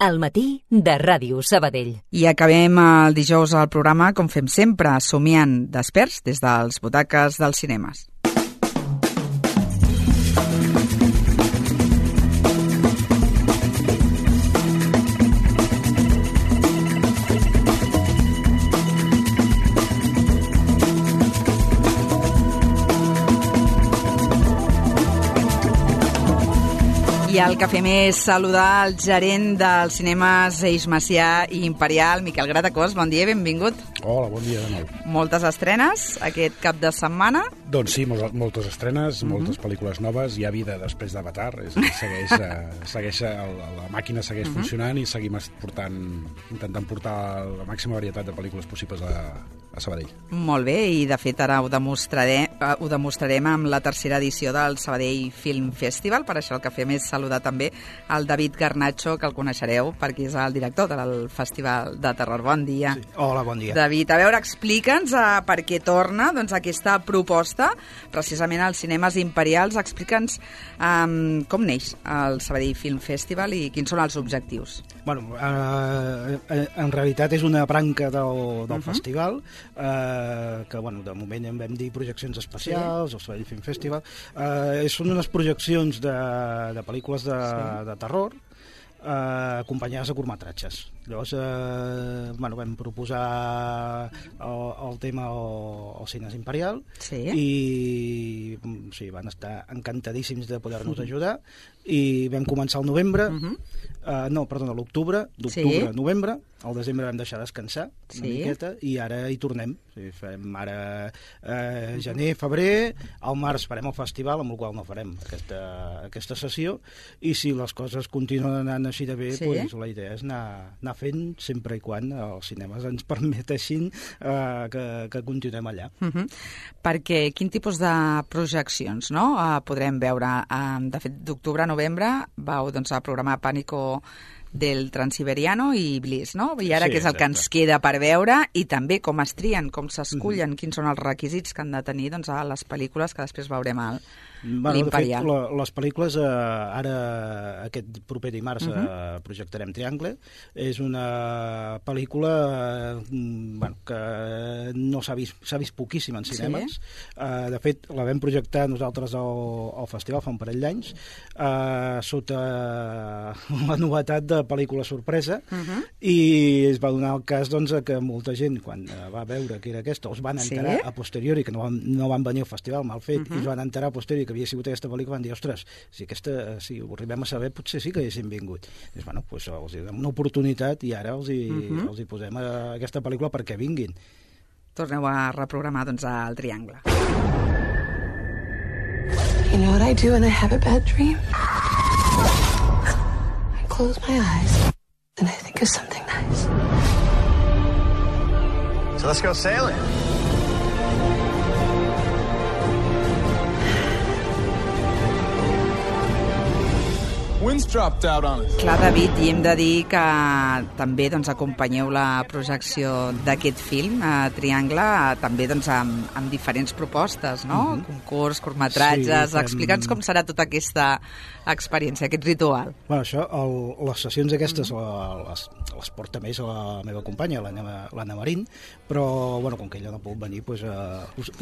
Al matí de Ràdio Sabadell. I acabem el dijous al programa, com fem sempre, somiant desperts des dels butaques dels cinemes. I el que fem és saludar el gerent dels cinemes Eix Macià i Imperial, Miquel Gratacós. Bon dia, benvingut. Hola, bon dia de nou. Moltes estrenes aquest cap de setmana? Doncs sí, moltes estrenes, moltes pel·lícules noves. Hi ha vida després d'Avatar, la màquina segueix funcionant i seguim intentant portar la màxima varietat de pel·lícules possibles a Sabadell. Molt bé, i de fet ara ho demostrarem amb la tercera edició del Sabadell Film Festival. Per això el que fem és saludar també el David Garnacho, que el coneixereu perquè és el director del Festival de Terror. Bon dia. Sí. Hola, bon dia. David, a veure, explica'ns per què torna aquesta proposta precisament als cinemes imperials. Explica'ns com neix el Sabadell Film Festival i quins són els objectius. Bueno, en realitat és una branca del festival que, bueno, de moment en vam dir projeccions especials, el Sabadell Film Festival. Són unes projeccions de pel·lícules de terror acompanyades de curtmetratges. Llavors, vam proposar el tema al Cines Imperial i van estar encantadíssims de poder-nos ajudar i vam començar al novembre, l'octubre, novembre, al desembre vam deixar descansar una miqueta i ara hi tornem. Fem ara gener, febrer, al març farem el festival, amb el qual no farem aquesta sessió, i si les coses continuen anant així de bé, la idea és anar fent sempre i quan els cinemes ens permeteixin que continuem allà. Perquè quin tipus de projeccions podrem veure? De fet, d'octubre a novembre vau a programar Pànico del Transiberiano i Bliss, no? I ara què és el que ens queda per veure i també com es trien, com s'escullen, quins són els requisits que han de tenir a les pel·lícules que després veurem a l'Imperial. De fet, les pel·lícules ara aquest proper dimarts projectarem Triangle. És una pel·lícula que no s'ha vist poquíssim en cinemes. De fet, la vam projectar nosaltres al festival fa un parell d'anys sota la novetat de pel·lícula sorpresa i es va donar el cas que molta gent, quan va veure que era aquesta, els van enterar a posteriori, que no van venir al festival mal fet, i es van enterar a posteriori que havia sigut aquesta pel·lícula, van dir, ostres, si ho arribem a saber, potser sí que haguéssim vingut. Doncs, els donem una oportunitat i ara els hi posem aquesta pel·lícula perquè vinguin. Torneu a reprogramar, al Triangle. You know what I do when I have a bad dream? Close my eyes and I think of something nice. So let's go sailing. Wind's dropped out on us. Clar, David, i hem de dir que també acompanyeu la projecció d'aquest film, Triangle, també amb diferents propostes, no? Concurs, curtmetratges. Explica'ns com serà tota aquesta experiència, aquest ritual. Bueno, les sessions aquestes les porta més la meva companya, l'Anna Marín, però com que ella no pot venir, us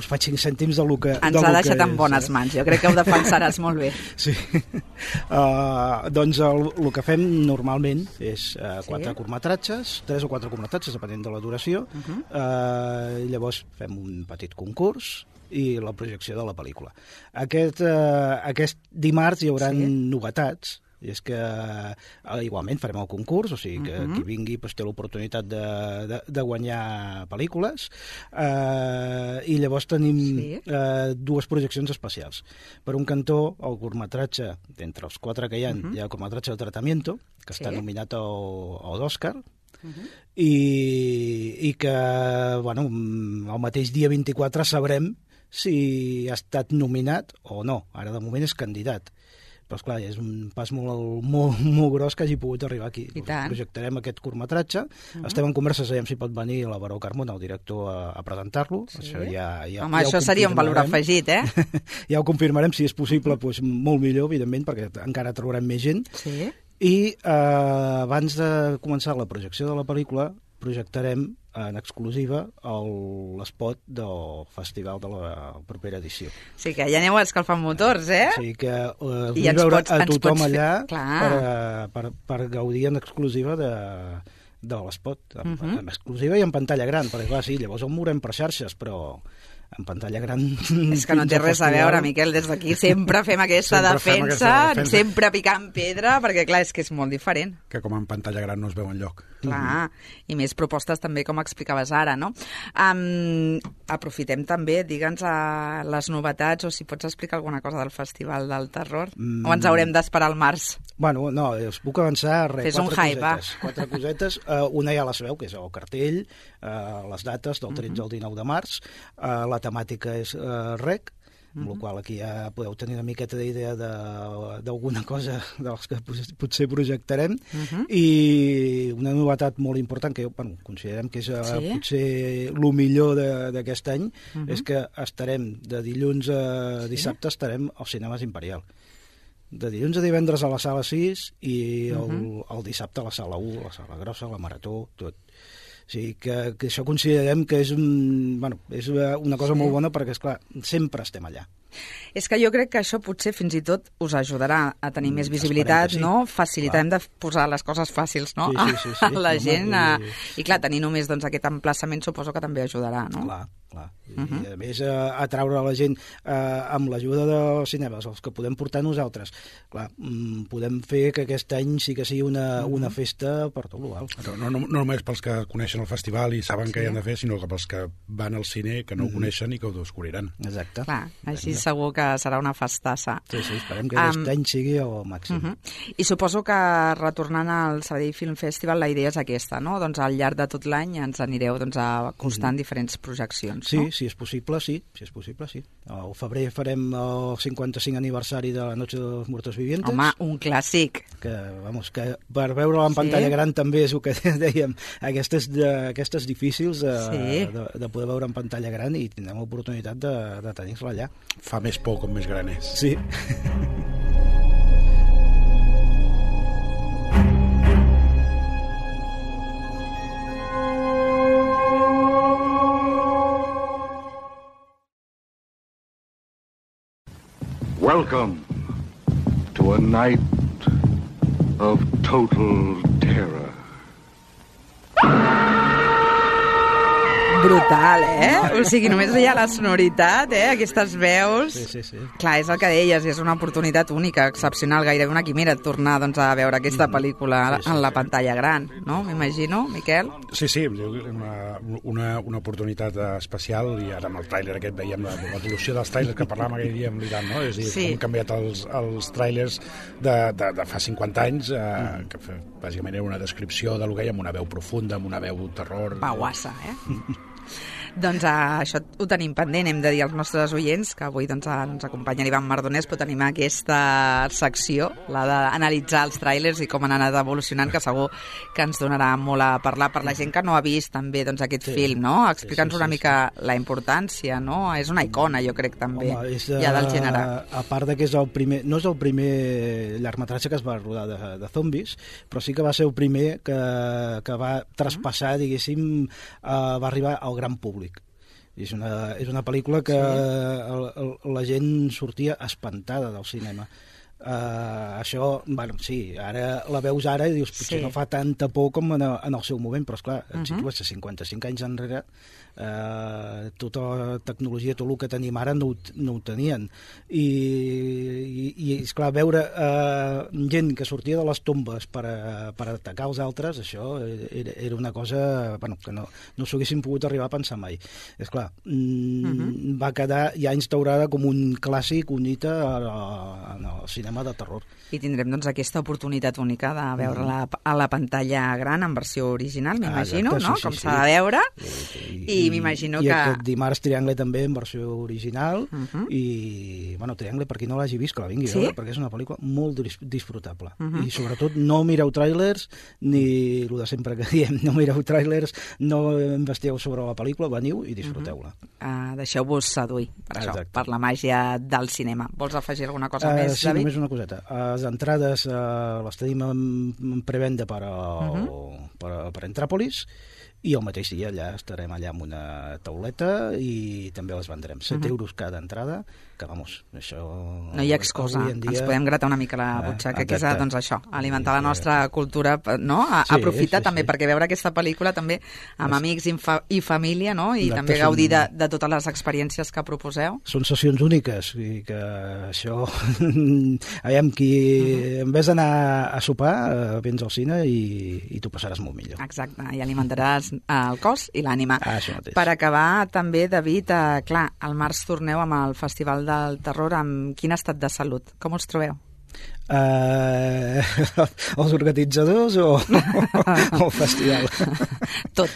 faig 5 cèntims del que ens ha deixat en bones mans, jo crec que ho defensaràs molt bé. Sí. Doncs el que fem normalment és 4 curtmetratges, 3 o 4 curtmetratges, depenent de la duració. Llavors fem un petit concurs i la projecció de la pel·lícula. Aquest dimarts hi haurà novetats, i és que igualment farem el concurs, o sigui que qui vingui té l'oportunitat de guanyar pel·lícules, i llavors tenim 2 projeccions especials. Per un cantó, el curtmetratge, d'entre els 4 que hi ha el curtmetratge de Tratamiento, que està nominat al Òscar, i que el mateix dia 24 sabrem si ha estat nominat o no. Ara de moment és candidat. Però, esclar, és un pas molt gros que hagi pogut arribar aquí. Projectarem aquest curtmetratge. Estem en converses, si pot venir la Baró Carmona, el director, a presentar-lo. Home, això seria un valor afegit, Ja ho confirmarem, si és possible, molt millor, evidentment, perquè encara trobarem més gent. I abans de començar la projecció de la pel·lícula projectarem en exclusiva l'espot del festival de la propera edició. Sí, que ja aneu escalfant motors, eh? O sigui que vull I veure a tothom allà per gaudir en exclusiva de l'espot, en exclusiva i en pantalla gran, perquè clar, sí, llavors el veurem per xarxes, però en pantalla gran... És que no té res a veure, Miquel, des d'aquí sempre fem aquesta defensa, sempre picant pedra, perquè clar, és que és molt diferent. Que com en pantalla gran no es veu enlloc. Clar, i més propostes també, com explicaves ara, no? Aprofitem també, digue'ns les novetats, o si pots explicar alguna cosa del Festival del Terror, o ens haurem d'esperar al març? Bueno, no, us puc avançar Fes un hype, quatre cosetes. Una ja la sabeu, que és el cartell, les dates del 13 al 19 de març, la temàtica és rec, amb la qual aquí ja podeu tenir una miqueta d'idea d'alguna cosa dels que potser projectarem. I una novetat molt important, que considerem que és potser el millor d'aquest any, és que estarem de dilluns a dissabte estarem als Cinemes Imperial. De dilluns a divendres a la sala 6 i el dissabte a la sala 1, la sala grossa, la marató, tot. O sigui que això considerem que és una cosa molt bona perquè, esclar, sempre estem allà. És que jo crec que això potser fins i tot us ajudarà a tenir més visibilitat, no? Facilitarem de posar les coses fàcils, no? Sí. A la gent. I clar, tenir només aquest emplaçament suposo que també ajudarà, no? Clar. I a més atraure la gent amb l'ajuda dels cinemes, els que podem portar nosaltres. Clar, podem fer que aquest any sí que sigui una festa per tot l'Ual. No només pels que coneixen el festival i saben què hi han de fer, sinó que pels que van al cine que no ho coneixen i que ho descobriran. Exacte. Clar, així segur que serà una festassa. Sí, esperem que aquest any sigui el màxim. I suposo que retornant al Sabadell Film Festival la idea és aquesta, no? Doncs al llarg de tot l'any ens anireu acostant diferents projeccions, sí, no? Si és possible, sí. Al febrer farem el 55 aniversari de la Noche de los Muertos Vivientes. Home, un clàssic. Que per veure-la en pantalla gran també és el que dèiem, aquestes difícils de poder veure en pantalla gran, i tindrem l'oportunitat de tenir-la allà. Fa més por com més gran és. Sí. Welcome to a night of total terror. Brutal, O sigui, només hi ha la sonoritat, aquestes veus. Sí. Clar, és el que deies, és una oportunitat única, excepcional, gairebé una quimera tornar a veure aquesta pel·lícula en la pantalla gran, no? M'imagino, Miquel? Sí, una oportunitat especial, i ara amb el tràiler aquest veiem l'evolució dels tràilers que parlàvem aquell dia amb l'Iran, no? És a dir, com han canviat els tràilers de fa 50 anys, que bàsicament era una descripció de lo que hi ha, amb una veu profunda, amb una veu terror. Pauassa, Doncs això ho tenim pendent, hem de dir als nostres oients que avui ens acompanya l'Ivan Mardonès, però tenim aquesta secció, la d'analitzar els tràilers i com han anat evolucionant, que segur que ens donarà molt a parlar per la gent que no ha vist també aquest film, no? Explica'ns una mica la importància, no? És una icona, jo crec, també, ja del gènere. A part que és el primer, no és el primer llargmetratge que es va rodar de zombis, però sí que va ser el primer que va traspassar, diguéssim, va arribar al gran públic. És una pel·lícula que la gent sortia espantada del cinema. Això, sí, ara la veus ara i dius, potser no fa tanta por com en el seu moment, però esclar, et situes a 55 anys enrere, tota la tecnologia, tot el que tenim ara no ho tenien. I esclar, veure gent que sortia de les tombes per atacar els altres, això era una cosa que no s'ho haguessin pogut arribar a pensar mai. Esclar, va quedar ja instaurada com un clàssic, un hito en el cinema de terror. I tindrem aquesta oportunitat única de veure-la a la pantalla gran en versió original, m'imagino, no? Com s'ha de veure. I m'imagino que... I aquest dimarts Triangle també en versió original. I, Triangle, per qui no l'hagi vist, que la vingui a veure, perquè és una pel·lícula molt disfrutable. I sobretot no mireu tràilers, ni el de sempre que diem, no mireu tràilers, no investigueu sobre la pel·lícula, veniu i disfruteu-la. Deixeu-vos seduir per això, per la màgia del cinema. Vols afegir alguna cosa més, David? Sí, només una coseta. Les entrades les tenim en prevenda per Entràpolis, i el mateix dia allà estarem allà amb una tauleta i també les vendrem. 7 euros cada entrada, que vamos, això... No hi ha excusa, ens podem gratar una mica la butxaca, que és doncs això, alimentar la nostra cultura, no? Aprofitar també, perquè veure aquesta pel·lícula també amb amics i família, no? I també gaudir de totes les experiències que proposeu. Són sessions úniques, i que això... Aviam, en vez d'anar a sopar, vens al cine i t'ho passaràs molt millor. Exacte, i alimentaràs el cos i l'ànima. Per acabar, també, David, clar, al març torneu amb el Festival del Terror. Amb quin estat de salut? Com us trobeu? Els organitzadors o el festival? Tot,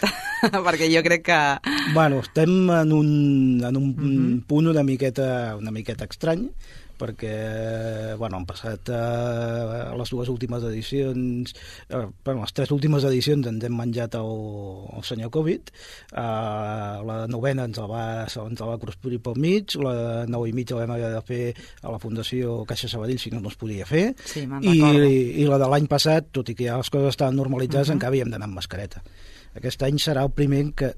perquè jo crec que... Bueno, estem en un punt una miqueta estrany, perquè han passat les dues últimes edicions, les 3 últimes edicions ens hem menjat el senyor Covid, la 9ª ens la va cruspir pel mig, la 9 i mig la vam haver de fer a la Fundació Caixa Sabadell, si no es podia fer, i la de l'any passat, tot i que ja les coses estaven normalitzades, encara havíem d'anar amb mascareta. Aquest any serà el primer que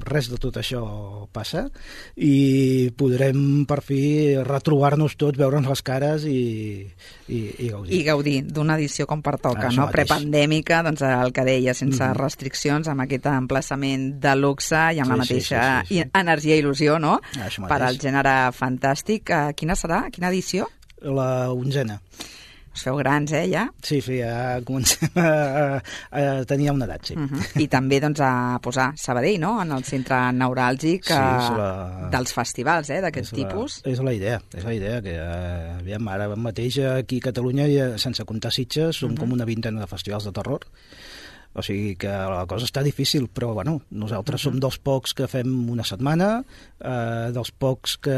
res de tot això passa i podrem per fi retrobar-nos tots, veure'ns les cares i gaudir. I gaudir d'una edició com pertoca, no? Prepandèmica, doncs el que deia, sense restriccions, amb aquest emplaçament de luxe i amb la mateixa energia i il·lusió, no? Per al gènere fantàstic. Quina serà? Quina edició? La 11ª. Us feu grans, ja? Sí, ja comencem a tenir una edat, sí. I també doncs, a posar Sabadell, no?, en el centre neuràlgic dels festivals, d'aquest tipus. És la idea, que aviam, ara mateix aquí a Catalunya, sense comptar Sitges, som com una 20ena de festivals de terror. O sigui que la cosa està difícil, però bueno, nosaltres som dels pocs que fem una setmana, dels pocs que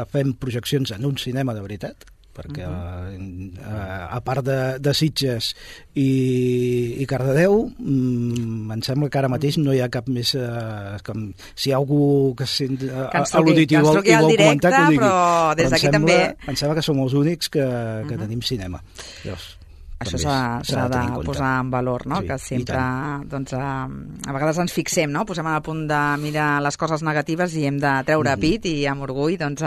fem projeccions en un cinema de veritat, perquè a part de Sitges i Cardedeu, em sembla que ara mateix no hi ha cap més... Si hi ha algú que a l'auditiu vol comentar, que ho digui. Però des d'aquí també... Em sembla que som els únics que tenim cinema. Llavors, això s'ha de posar en valor, no? Que sempre, doncs, a vegades ens fixem, no? Posem al punt de mirar les coses negatives i hem de treure pit i amb orgull, doncs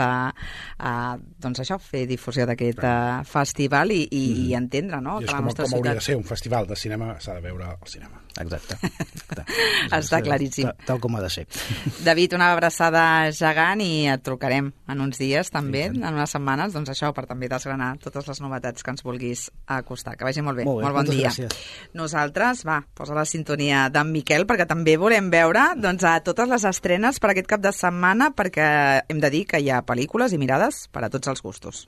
això, fer difusió d'aquest festival i entendre, no? I és com hauria de ser un festival de cinema, s'ha de veure al cinema. Exacte. Està claríssim. Tal com ha de ser. David, una abraçada gegant i et trucarem en uns dies també, en unes setmanes, doncs això, per també desgranar totes les novetats que ens vulguis acostar. Que vagi molt bé, molt bon dia. Gràcies. Nosaltres, posa la sintonia d'en Miquel, perquè també volem veure a totes les estrenes per aquest cap de setmana, perquè hem de dir que hi ha pel·lícules i mirades per a tots els gustos.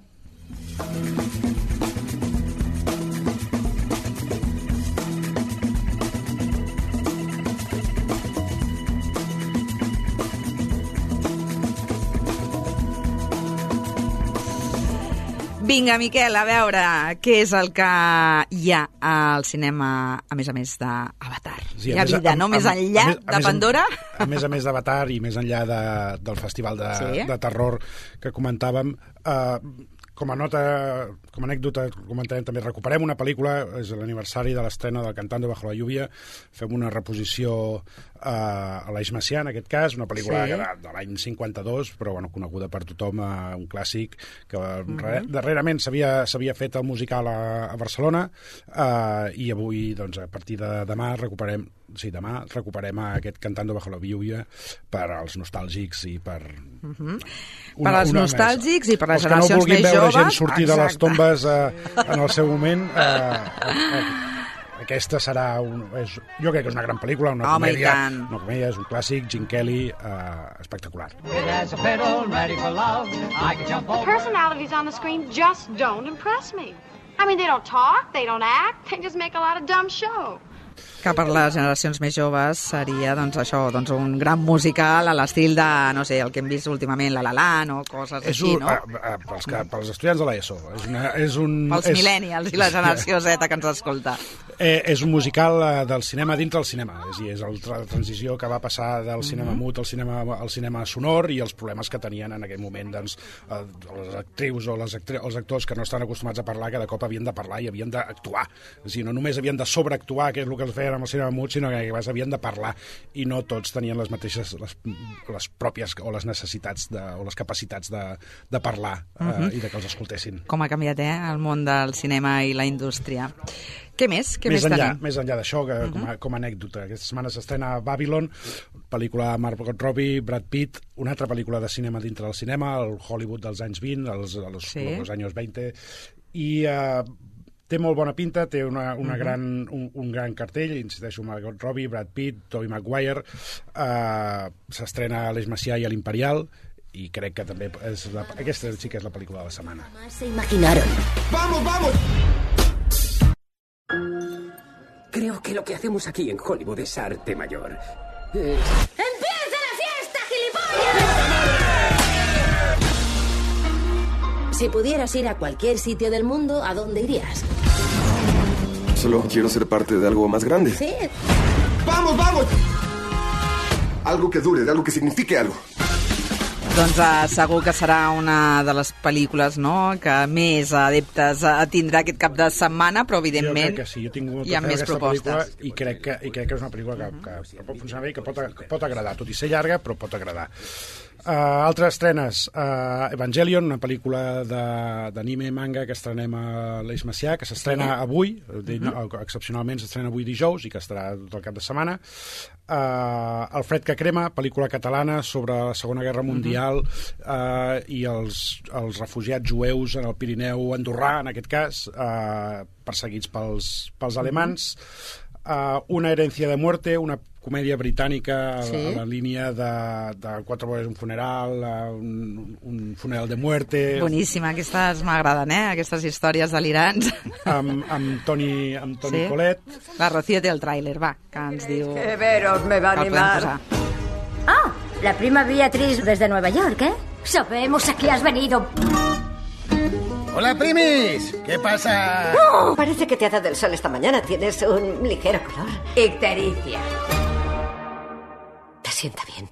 Vinga, Miquel, a veure què és el que hi ha al cinema, a més d'Avatar. Sí, hi ha vida, no? Més enllà de Pandora? A més d'Avatar i més enllà del festival de terror que comentàvem, com a anècdota, comentarem també, recuperem una pel·lícula, és l'aniversari de l'estrena del Cantando bajo la lluvia, fem una reposició a l'Eix Macià, en aquest cas, una pel·lícula de l'any 52, però coneguda per tothom, un clàssic que darrerament s'havia fet el musical a Barcelona, i avui, doncs, a partir de demà recuperem aquest Cantando bajo la lluvia per als nostàlgics i per... Per als nostàlgics i per les generacions més joves. Els que no vulguin veure gent sortir de les tombes en el seu moment... Aquesta serà jo crec que és una gran pel·lícula, una comèdia, és un clàssic, Gene Kelly, espectacular. The personalities on the screen just don't impress me. I mean, they don't talk, they don't act, they just make a lot of dumb show. Que per les generacions més joves seria un gran musical a l'estil de, no sé, el que hem vist últimament, La La Land o coses així, no? Pels estudiants de l'ESO. Pels millennials i la generació Z que ens escolta. És un musical del cinema dintre del cinema, és la transició que va passar del cinema mut al cinema sonor i els problemes que tenien en aquell moment doncs, les actrius o els actors que no estan acostumats a parlar, que de cop havien de parlar i havien d'actuar. És a dir, no només havien de sobreactuar, que és el que es feien amb el cinema mut, sinó que havien de parlar, i no tots tenien les mateixes, les pròpies o les necessitats o les capacitats de parlar i de que els escoltessin. Com ha canviat el món del cinema i la indústria. Què més? Què més tenim? Més enllà d'això, com a anècdota, aquesta setmana s'estrena Babylon, pel·lícula de Margot Robbie, Brad Pitt, una altra pel·lícula de cinema dintre del cinema, el Hollywood dels anys 20, els anys 20, i té molt bona pinta, té un gran cartell, insisteixo, Margot Robbie, Brad Pitt, Tobey Maguire, s'estrena a l'Eix Macià i a l'Imperial, i crec que també aquesta sí que és la pel·lícula de la setmana. Se imaginaron. ¡Vamos, vamos! Creo que lo que hacemos aquí en Hollywood es arte mayor. ¡Empieza la fiesta, gilipollas! Si pudieras ir a cualquier sitio del mundo, ¿a dónde irías? Solo quiero ser parte de algo más grande. Sí. ¡Vamos, vamos! Algo que dure, algo que signifique algo. Doncs segur que serà una de les pel·lícules, no?, que més adeptes tindrà aquest cap de setmana, però evidentment jo crec que sí, jo tinc molta hi ha més propostes. I crec que és una pel·lícula que pot funcionar bé i que pot agradar, tot i ser llarga, però pot agradar. Altres estrenes, Evangelion, una pel·lícula d'anime manga que estrenem a l'Eix Macià, que s'estrena avui, excepcionalment s'estrena avui dijous i que estarà tot el cap de setmana. El fred que crema, pel·lícula catalana sobre la Segona Guerra Mundial i els refugiats jueus en el Pirineu andorrà, en aquest cas, perseguits pels alemans. Una herencia de muerte, una comèdia britànica a la línia de Quatre bodes, un funeral, un funeral de muerte. Boníssima, aquestes m'agraden, aquestes històries delirants. Amb Toni Collette. La Rocío té el tràiler, va, que ens diu... Que veros me va a animar. Ah, la prima Beatriz desde Nueva York, ¿eh? Sabemos a qué has venido. ¡Hola, primis! ¿Qué pasa? Oh, parece que te ha dado el sol esta mañana. Tienes un ligero color. Ictericia. Te sienta bien.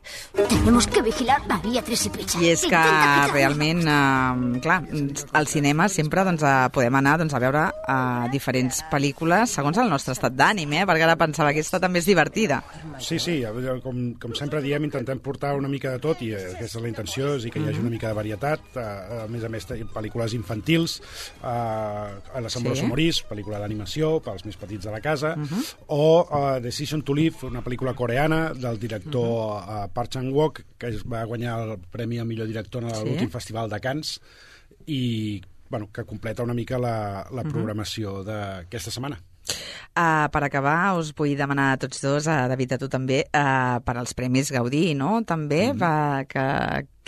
Tenemos que vigilar a Beatriz y Pritchard. I és que realment, clar, al cinema sempre podem anar a veure diferents pel·lícules segons el nostre estat d'ànim, perquè ara pensava que aquesta també és divertida. Sí, com sempre diem, intentem portar una mica de tot, i aquesta és la intenció, és que hi hagi una mica de varietat. A més, pel·lícules infantils, l'Assemblea Somorís, pel·lícula d'animació pels més petits de la casa, o Decision to Live, una pel·lícula coreana del director Park Chan-wook, que va guanyar el premi al millor director en l'últim festival de Cannes, i que completa una mica la programació d'aquesta setmana. Per acabar, us vull demanar a tots dos, a David, a tu també, per als Premis Gaudí, no? També,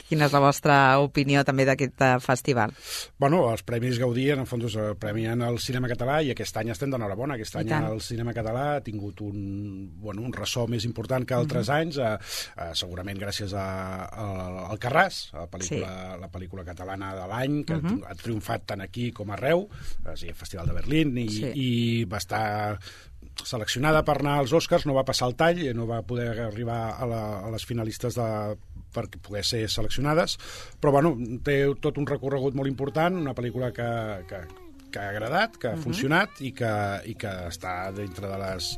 quina és la vostra opinió també d'aquest festival? Els Premis Gaudí, en el fons, premien el cinema català, i aquest any estem d'enhorabona. Aquest any el cinema català ha tingut un ressò més important que altres anys, segurament gràcies al Carràs, la pel·lícula catalana de l'any, que ha triomfat tant aquí com arreu, al Festival de Berlín, i va estar seleccionada per anar als Oscars, no va passar el tall, no va poder arribar a les finalistes perquè poder ser seleccionades, però té tot un recorregut molt important, una pel·lícula que ha agradat, que ha funcionat i que està dintre de les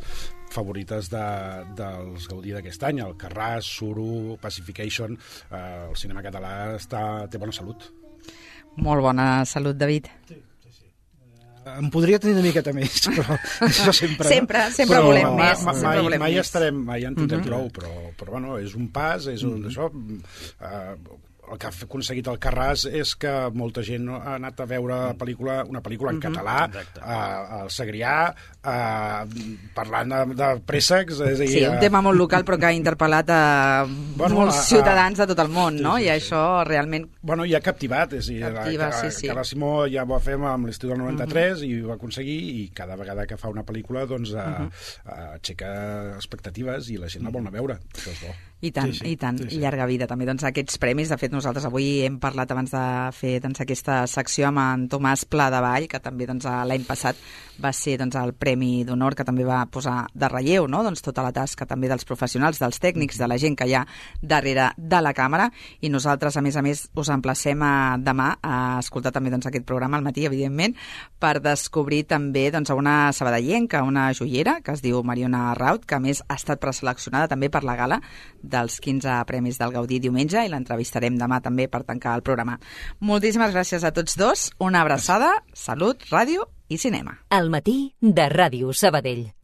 favorites dels Gaudí d'aquest any. El Carràs, Suro, Pacification, el cinema català té bona salut. Molt bona salut, David. Em podria tenir una miqueta més, però això sempre... Sempre volem més. Mai en tindrem prou, però és un pas, és això... El que ha aconseguit el Carràs és que molta gent ha anat a veure una pel·lícula en català, al Segrià, parlant de préssecs. Sí, un tema molt local, però que ha interpel·lat molts ciutadans de tot el món, no? I això realment... I ha captivat, és a dir, Carles Simó ja ho va fer amb l'estiu del 93 i ho va aconseguir, i cada vegada que fa una pel·lícula aixeca expectatives i la gent la vol anar a veure. Això és bo. I tant, Sí, sí, i tant. sí, sí. Llarga vida també. Doncs aquests premis, de fet nosaltres avui hem parlat abans de fer aquesta secció amb en Tomàs Pladevall, que també l'any passat va ser el Premi d'Honor, que també va posar de relleu tota la tasca també dels professionals, dels tècnics, de la gent que hi ha darrere de la càmera, i nosaltres, a més, us emplacem a demà a escoltar també aquest programa al matí, evidentment, per descobrir també una sabadellenca, una joiera, que es diu Mariona Raut, que a més ha estat preseleccionada també per la gala dels 15 Premis del Gaudí diumenge, i l'entrevistarem demà també per tancar el programa. Moltíssimes gràcies a tots dos, una abraçada, salut, ràdio i cinema. Al matí de Ràdio Sabadell.